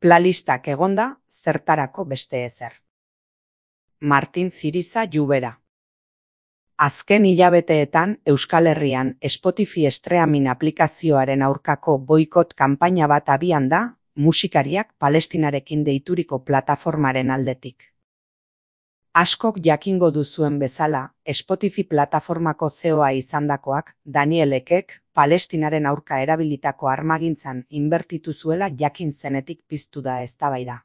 Playlistak egonda, zertarako beste ezer. Martin Ziriza Llubera. Azken hilabeteetan Euskal Herrian Spotify streaming aplikazioaren aurkako boikot kanpaina bat abian da, musikariak Palestinarekin deituriko plataformaren aldetik. Askok jakingo duzuen bezala, Spotify plataformako CEO-a izandakoak, Daniel Ekek, Palestinaren aurka erabilitako armagintzan inbertitu zuela jakin zenetik piztu da eztabaida.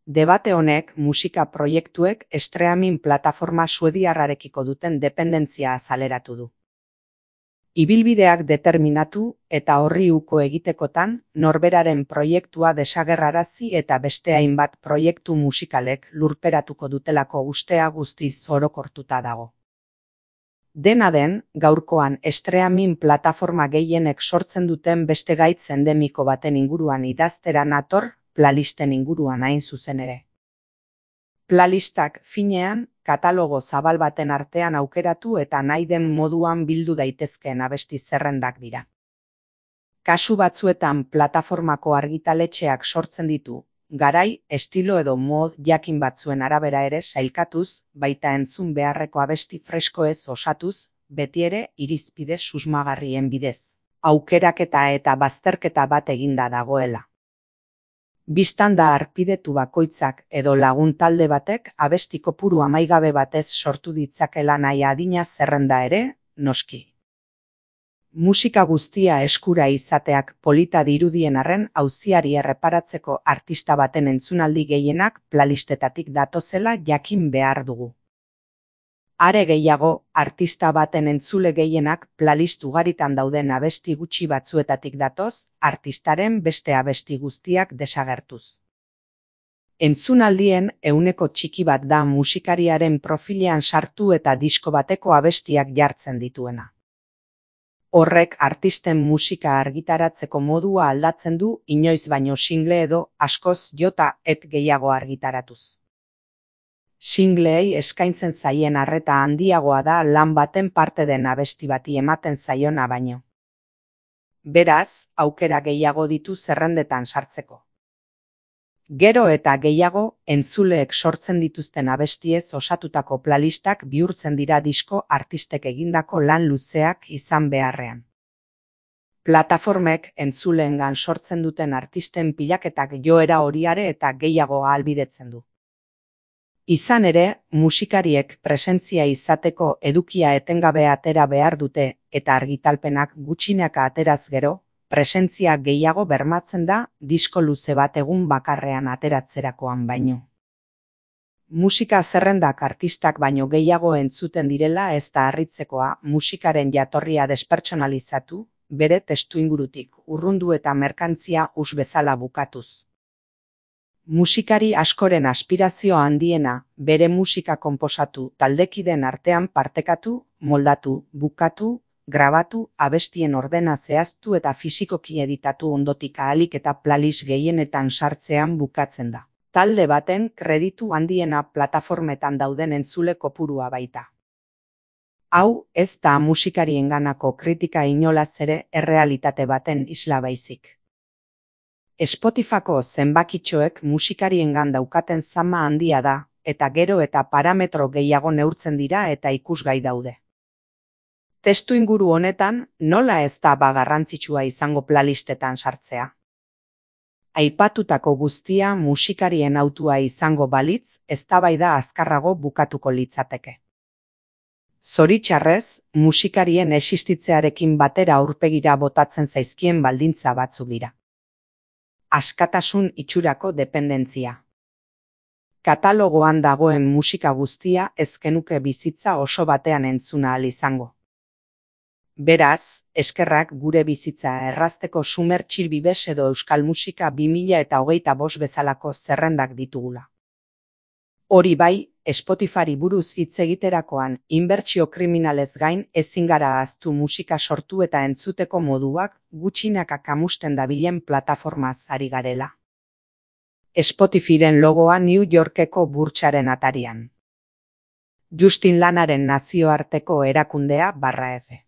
Debate honek musika proiektuek streaming plataforma suediarrarekiko duten dependentzia azaleratu du. Ibilbideak determinatu eta horri uko egitekotan, norberaren proiektua desagerrarazi eta beste hainbat proiektu musikalek lurperatuko dutelako ustea guztiz orokortuta dago. Dena den, gaurkoan streaming plataforma gehienek sortzen duten beste gaitz endemiko baten inguruan idaztera nator, playlisten inguruan hain zuzen ere. Playlistak finean, katalogo zabal baten artean aukeratu eta nahi den moduan bildu daitezkeen abesti zerrendak dira. Kasu batzuetan plataformako argitaletxeak sortzen ditu, garai, estilo edo mod jakin batzuen arabera ere sailkatuz, baita entzun beharreko abesti freskoez osatuz, betiere irizpide susmagarrien bidez, aukeraketa eta bazterketa bat eginda dagoela. Bistan da harpidetu bakoitzak edo lagun talde batek abesti kopuru amaigabe batez sortu ditzakela nahi adina zerrenda ere, noski. Musika guztia eskura izateak polita dirudien arren auziari erreparatzeko artista baten entzunaldi gehienak playlistetatik datozela jakin behar dugu. Are gehiago, artista baten entzule gehienak playlist ugaritan dauden abesti gutxi batzuetatik datoz, artistaren beste abesti guztiak desagertuz. Entzunaldien ehuneko txiki bat da musikariaren profilean sartu eta disko bateko abestiak jartzen dituena. Horrek artisten musika argitaratzeko modua aldatzen du inoiz baino single edo askoz jota EP gehiago argitaratuz. Singleei eskaintzen zaien arreta handiagoa da lan baten parte den abesti bati ematen zaiona baino. Beraz, aukera gehiago ditu zerrendetan sartzeko. Gero eta gehiago, entzuleek sortzen dituzten abestiez osatutako playlistak bihurtzen dira disko artistek egindako lan luzeak izan beharrean. Plataformek entzuleengan sortzen duten artisten pilaketak joera horiare eta gehiago ahalbidetzen du. Izan ere, musikariek presentzia izateko edukia etengabe atera behar dute eta argitalpenak gutxinaka ateraz gero, presentzia gehiago bermatzen da disko luze bat egun bakarrean ateratzerakoan baino. Musika zerrendak artistak baino gehiago entzuten direla ez da harritzekoa musikaren jatorria despertsonalizatu, bere testuingurutik urrundu eta merkantzia us bezala bukatuz. Musikari askoren aspirazio handiena, bere musika konposatu, taldekideen artean partekatu, moldatu, bukatu, grabatu, abestien ordena zehaztu eta fisikoki editatu ondotik ahalik eta playlist gehienetan sartzean bukatzen da. Talde baten kreditu handiena plataformetan dauden entzule kopurua baita. Hau ez da musikarienganako kritika inolaz ere errealitate baten isla baizik. Spotifyko zenbakitxoek musikariengan daukaten zama handia da, eta gero eta parametro gehiago neurtzen dira eta ikusgai daude. Testu inguru honetan, nola ez da garrantzitsua izango playlistetan sartzea? Aipatutako guztia musikarien hautua izango balitz, eztabaida azkarrago bukatuko litzateke. Zoritxarrez, musikarien existitzearekin batera aurpegira botatzen zaizkien baldintza batzuk dira. Askatasun itxurako dependentzia. Katalogoan dagoen musika guztia ez genuke bizitza oso batean entzuna ahal izango. Beraz, eskerrak gure bizitza errazteko Sumer Txirbibes edo Euskal Musika 2025 bezalako zerrendak ditugula. Hori bai, Spotifyri buruz hitz egiterakoan inbertsio kriminalez gain ezin gara ahaztu musika sortu eta entzuteko moduak gutxinaka kamusten dabilen plataformaz ari garela. Spotifyren logoa New Yorkeko burtsaren atarian. Justin Lanaren nazioarteko erakundea /F